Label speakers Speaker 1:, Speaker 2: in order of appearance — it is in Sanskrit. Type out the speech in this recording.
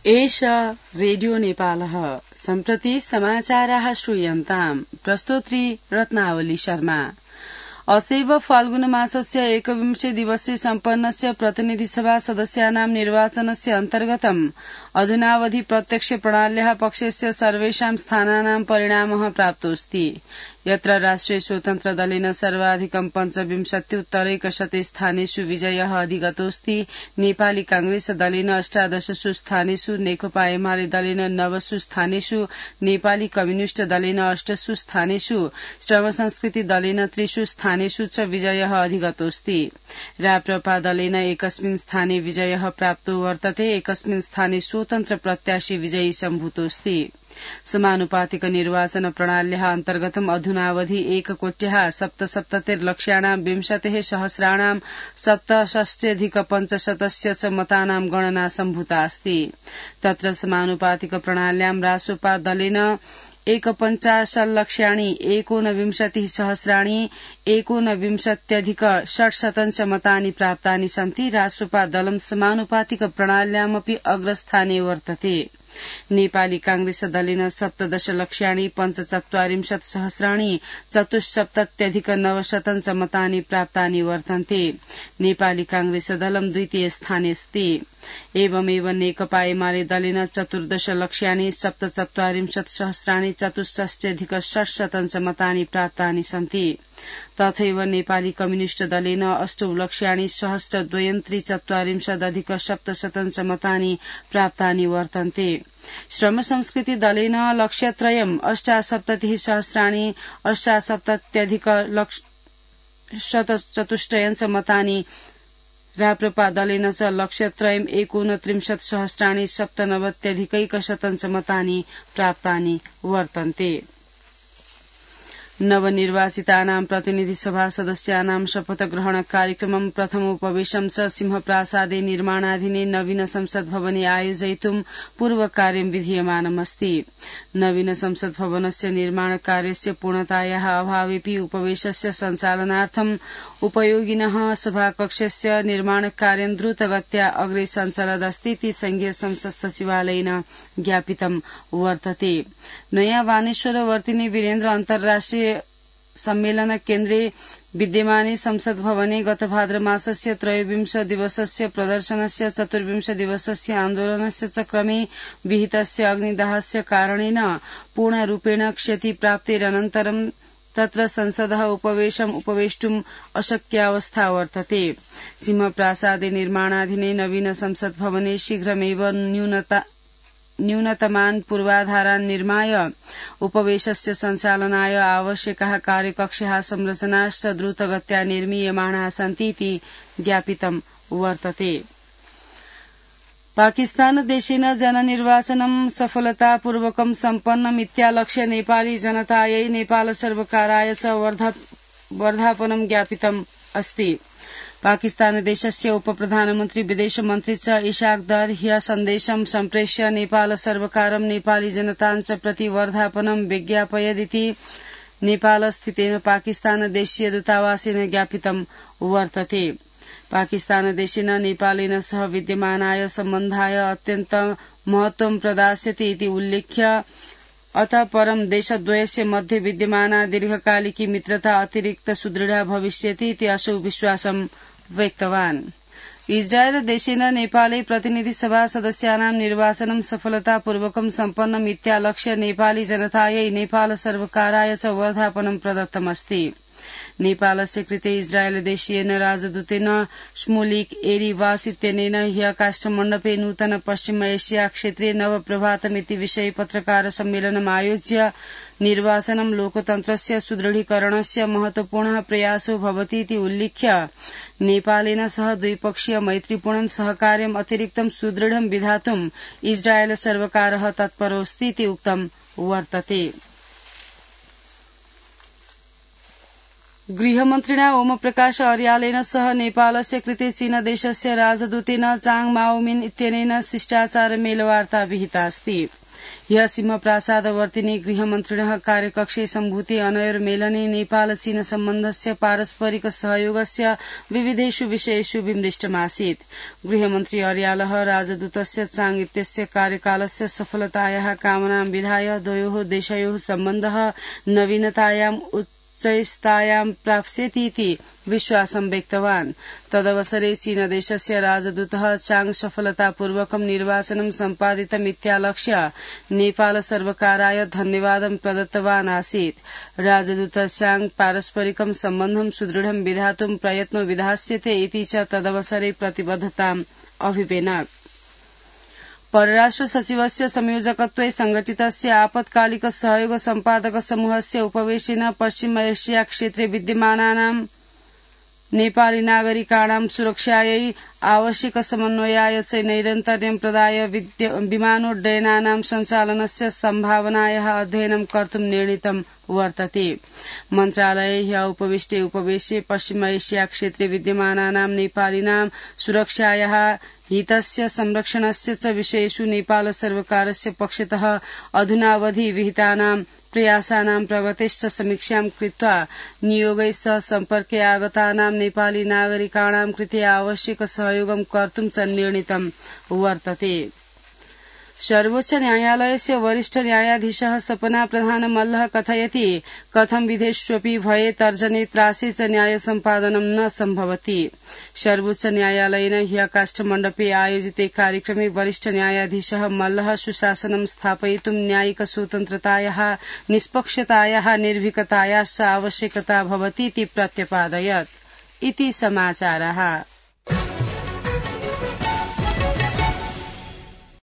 Speaker 1: एष रेडियो नेपालः सम्प्रति समाचाराः श्रूयन्ताम् प्रस्तोत्री रत्नावली शर्मा। असैव फाल्गुन मासस्य 21 दिवसे सम्पन्नस्य प्रतिनिधिसभा सदस्यानां निर्वाचनस्य अन्तर्गतम् अधुनावधि प्रत्यक्ष प्रणाल्याः पक्षस्य सर्वेषां स्थानानां परिणामः प्राप्तोऽस्ति। यत्र राष्ट्रिय स्वतन्त्र दलेन सर्वाधिकं 25 स्थानेषु विजयः अधिगतोऽस्ति। नेपाली कांग्रेस दलेन 18 स्थानेषु, नेकपा एमाले दलेन 9 स्थानेषु, नेपाली कम्युनिष्ट दलेन 8 स्थानेषु, श्रम संस्कृति दलेन 3 स्थानेषु च विजयः अधिगतोऽस्ति। राप्रपा दलेन एकस्मिन् स्थाने विजयः प्राप्तो वर्तते। एकस्मिन् स्थाने स्वतन्त्र प्रत्याशी विजयी सम्भूतोऽस्ति। समानुपातिक निर्वाचन प्रणाल्याः अन्तर्गतम् अधुनावधि 1,77,00,000 20,000 67,500 च मतानां गणना सम्भूता अस्ति। तत्र समानुपातिक प्रणाल्यां रासोपा दलेन 1,50,00,000 19,000 मतानि प्राप्तानि सन्ति। रासोपा दलं समानुपातिक प्रणाल्यामपि अग्रस्थाने वर्तते। नेपाली कांग्रेस दलेन 17,45,000 74,900 मतानि प्राप्तानि वर्तन्ते। नेपाली कांग्रेस दलं द्वितीय स्थाने अस्ति। एवमेव नेकपा एमाले दलेन 14,47,64,630 मतानि प्राप्तानि सन्ति। तथैव नेपाली कम्युनिष्ट दलेन 8,62,43,700 मतानि प्राप्तानि वर्तन्ते। श्रम संस्कृति दलेन लक्ष्यत्रयम् 78,78,170 मतानि, राप्रपा दलेन च लक्ष्यत्रयम् 29,97,170 मतानि प्राप्तानि वर्तन्ते। नवनिर्वाचितानां प्रतिनिधिसभा सदस्यानां शपथ ग्रहण कार्यक्रमं प्रथमोपवेशनं च सिंहप्रासादे निर्माणाधीने नवीन संसद भवने आयोजयितुं पूर्वकार्यं विधीयमानमस्ति। नवीन संसद भवनस्य निर्माण कार्यस्य पूर्णतायाः अभावेपि उपवेशस्य सञ्चालनार्थं उपयोगिनः सभाकक्षस्य निर्माणकार्यं द्रुतगत्या अग्रे सञ्चलदस्ति इति संघीय संसद सचिवालयेन ज्ञापितं वर्तते। नयाँ वानेश्वर वर्तिनी वीरेन्द्र अन्तर्राष्ट्रिय सम्मेलन केन्द्रे विद्यमाने संसद भवने गत भाद्र मासस्य 23 दिवसस्य प्रदर्शनस्य 24 दिवसस्य आन्दोलनस्य च क्रमे विहितस्य अग्निदाहस्य कारणेन पूर्णरूपेण क्षतिप्राप्तेरनन्तरं तत्र संसदः उपवेष्टुम् अशक्यावस्था वर्तते। सिंहप्रासादे निर्माणाधीने नवीन संसद भवने शीघ्रमेव न्यूनतमान् पूर्वाधारान् निर्माय उपवेशस्य सञ्चालनाय आवश्यकाः कार्यकक्षाः संरचनाश्च द्रुतगत्या निर्मीयमाणाः सन्ति इति ज्ञापितं वर्तते। पाकिस्तानदेशेन जननिर्वाचनं सफलतापूर्वकं सम्पन्नमित्यालक्ष्य नेपाली जनतायै नेपाल सर्वकाराय च वर्धापनं ज्ञापितम् अस्ति। पाकिस्तानदेशस्य उपप्रधानमन्त्री विदेशमन्त्री च इशाक दर ह्य सन्देशं सम्प्रेष्य नेपाल सर्वकारं नेपाली जनतां च प्रति वर्धापनं विज्ञापयदिति नेपालस्थितेन पाकिस्तानदेशीय दूतावासेन ज्ञापितं वर्तते। पाकिस्तानदेशेन नेपालेन सह विद्यमानाय सम्बन्धाय अत्यन्त महत्वं प्रदास्यति इति उल्लेख्य अतः परं देशद्वयस्य मध्ये विद्यमाना दीर्घकालिकी मित्रता अतिरिक्त सुदृढा भविष्यति इति असौ विश्वासं व्यक्तवान्। इस्राएल देशेन नेपाले प्रतिनिधिसभा सदस्यानां निर्वाचनं सफलतापूर्वकं सम्पन्नमित्यालक्ष्य नेपाली जनतायै नेपाल सर्वकाराय च वर्धापनं प्रदत्तमस्ति। नेपालस्य कृते इस्राएल देशीयेन राजदूतेन श्मुलिक एरिवास इत्यनेन ह्यः काष्ठमण्डपे नूतन पश्चिम एशिया क्षेत्रे नवप्रभातमिति विषये पत्रकार सम्मेलनम् आयोज्य निर्वाचनं लोकतन्त्रस्य सुदृढीकरणस्य महत्वपूर्णः प्रयासो भवति इति उल्लिख्य नेपालेन सह द्विपक्षीय मैत्रीपूर्णं सहकार्यम् अतिरिक्तं सुदृढं विधातुम् इस्राएल सर्वकारः तत्परोऽस्ति इति उक्तं वर्तते। गृहमन्त्रिणा ओमप्रकाश अर्यालेन सह नेपालस्य कृते चीनदेशस्य राजदूतेन चाङ माओमिन इत्यनेन शिष्टाचार मेलवार्ता विहिता अस्ति। ह्य सिंहप्रासादवर्तिनि गृहमन्त्रिणः कार्यकक्षे सम्भूते अनयोर्मेलने नेपाल चीन सम्बन्धस्य पारस्परिक सहयोगस्य विविधेषु विषयेषु विमृष्टमासीत्। गृहमन्त्री अर्यालः राजदूतस्य चाङ इत्यस्य कार्यकालस्य सफलतायाः कामनां विधाय द्वयोः देशयोः सम्बन्धः नवीनतायाम् उच्चैस्तायां प्राप्स्यतीति विश्वासं व्यक्तवान्। तदवसरे चीनदेशस्य राजदूतः चाङ सफलतापूर्वकं निर्वाचनं सम्पादितमित्यालक्ष्य नेपाल सर्वकाराय धन्यवादं प्रदत्तवान् आसीत्। राजदूत चाङ पारस्परिकं सम्बन्धं सुदृढं विधातुं प्रयत्नो विधास्यते इति च तदवसरे प्रतिबद्धताम् अभिवेनक। परराष्ट्र सचिवस्य संयोजकत्वे संघटितस्य आपत्कालिक सहयोग सम्पादक समूहस्य उपवेशेन पश्चिम एशिया क्षेत्रे विद्यमानानां नेपाली नागरिकाणां सुरक्षायै आवश्यक समन्वयाय च नैरन्तर्यं प्रदाय विमानोड्डयनानां सञ्चालनस्य सम्भावनायाः अध्ययनं कर्तुं निर्णीतं वर्तते। मन्त्रालये ह्य उपवेशे पश्चिम एशिया क्षेत्रे विद्यमानानां नेपालिनां सुरक्षायाः हितस्य संरक्षणस्य च विषयेषु नेपाल सर्वकारस्य पक्षतः अधुनावधि विहितानां प्रयासानां प्रगतेश्च समीक्षां कृत्वा नियोगैः सह सम्पर्के आगतानां नेपाली नागरिकाणां कृते आवश्यक सहयोगं कर्तुं च निर्णीतं वर्तते। सर्वोच्च न्यायालयस्य वरिष्ठ न्यायाधीशः सपना प्रधान मल्लः कथयति कथं विधेष्वपि भये तर्जने त्रासे च न्याय सम्पादनं न सम्भवति। सर्वोच्च न्यायालयेन ह्य काष्ठमण्डपे आयोजिते कार्यक्रमे वरिष्ठ न्यायाधीशः मल्लः सुशासनं स्थापयितुं न्यायिक स्वतन्त्रतायाः निष्पक्षतायाः निर्भीकतायाश्च आवश्यकता भवतीति प्रत्यपादयत्। इति समाचाराः।